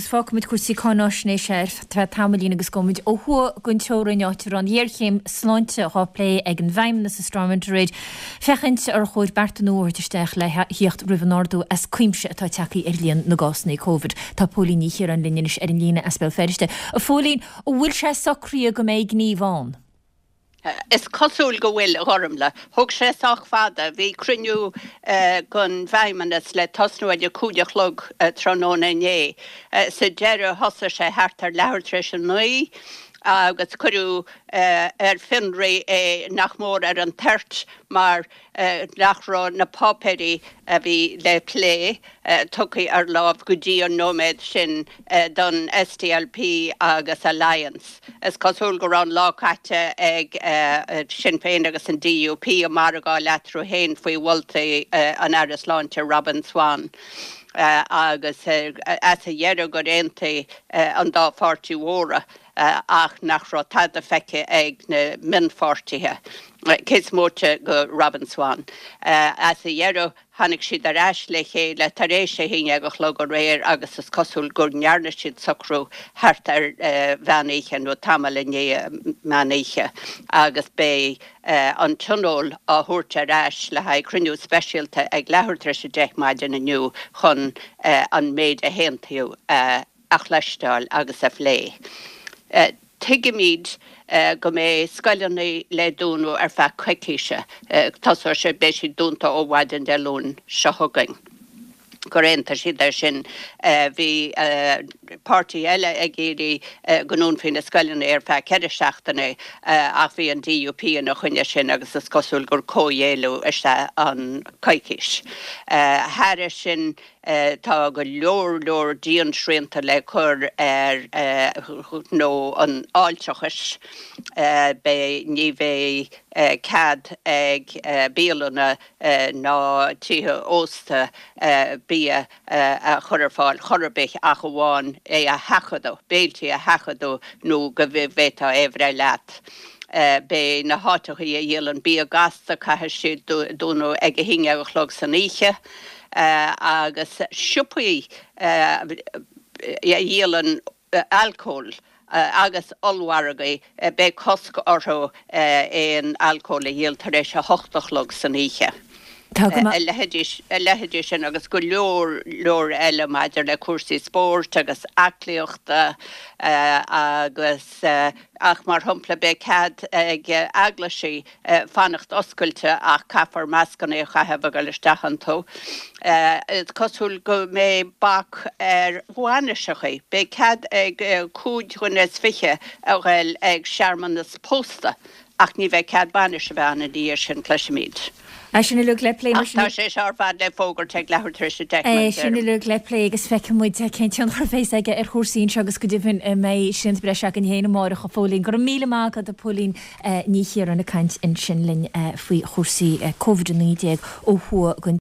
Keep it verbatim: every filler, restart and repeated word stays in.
fágfaimid cúrsaí cáináisnéise ar feadh tamaillín agus gabhfaimid ó thuaidh den teorainn áit a raibh an ghéarchéim sláinte á plé ag an bhFeidhmeannas i Stormont aréir féachaint ar chóir bearta nua a thabhairt isteach le theacht roimh an ardú as cuimse atá tagtha ar líon na gcásanna Covid. Tá Póilín Ní Chiaráin linn anois ar an líne as Béal Feirste. A Phóilín, an bhfuil sé socraithe go mbeidh gníomh ann? Is cosúil go bhfuil a Ghormfhlaith. Thóg sé sách fada, bhí cruinniú den bhFeidhmeannas le tosnú ag a cúig a chlog tráthnóna inné. Sa deireadh thosaigh sé thart ar leathuair tar éis a naoi agus cuireadh ar fionraí é nach mór ar an toirt mar nach raibh na páipéirí a bhí le plé tugtha ar láimh go dtí an nóiméad sin don SDLP agus Alliance. Is cosúil go raibh an lá caite ag Sinn Féin agus an DUP ag margáil eatarthu féin faoi mholtaí an Aire Sláinte Robin Swann agus as a dheireadh gur aontaigh an dá pháirtí mhóra ach nach raibh tada feicthe ag na mionpháirtithe, cé is móite de Robin Swann. As a dheireadh, tháinig siad ar ais le chéile tar éis a haon déag a chlog aréir agus is cosúil go ndearna siad socrú thart ar mheán oíche nó tamall i ndiaidh meán oíche agus beidh an tionól á thabhairt ar ais le haghaidh cruinniú speisialta ag leathuair tar éis a deich maidin inniu chun an méid a haontaíodh a a chloisteáil agus a phlé. Tuigimid go mbeidh scoileanna le dúnadh ar feadh coicíse. Tosóidh sé, beidh siad dúnta ó mhaidin Dé Luain seo chugainn. Gur aontaigh siad air sin. Bhí páirtí eile ag iarraidh go ndúnfaí na scoileanna ar feadh ceithre seachtaine ach bhí an DUP ina choinne sin agus is cosúil gur comhghéilleadh is ea an coicís. Thairis sin, Tá go leor leor diansrianta le cur ar ghnó an fháilteachais. Beidh, ní bheidh cead ag bialanna ná tithe ósta bia a chur ar fáil chor ar bith ach amháin é a sheachadadh, béiltí a sheachadadh nó go bhféadfá é a bhreith leat. Beidh na háiteachaí a dhíolann bia gasta, caithfidh siad dúnadh ag a haon déag a chlog san oíche agus siopaí a dhíolann alcól agus ollmhargaí, beidh cosc orthu aon alcól a dhíol tar éis a hocht a chlog san oíche. Tá go maith. A leithéidí, a leithéidí sin agus go leor leor eile maidir le cúrsaí spóirt agus aclaíochta agus ach mar shampla beidh cead ag eaglaisí fanacht oscailte ach caithfear mascanna a chaitheamh ag dul isteach iontu. Is cosúil go mbeidh bac ar bhainiseachaí. Beidh cead ag cúig dhuine is fiche a ghoil ag searmanas pósta ach ní bheidh cead bainis a bheith ann ina dhiaidh sin, cloisimid. É sin uilig le plé mar Ach sin. tá sé seo ar fad le fógairt ag leathuair tar éis a deich, mar É a sin deirim. uilig le plé agus feicfidh muid cén tionchar a bheas aige ar chúrsaí anseo agus go deimhin an mbeidh srianta breise againn féin amárach, a Phóilín. Go raibh míle maith agat, a Phóilín Ní Chiaráin ag caint ansin linn faoi chúrsaí Covid a naoi déag ó thuaidh den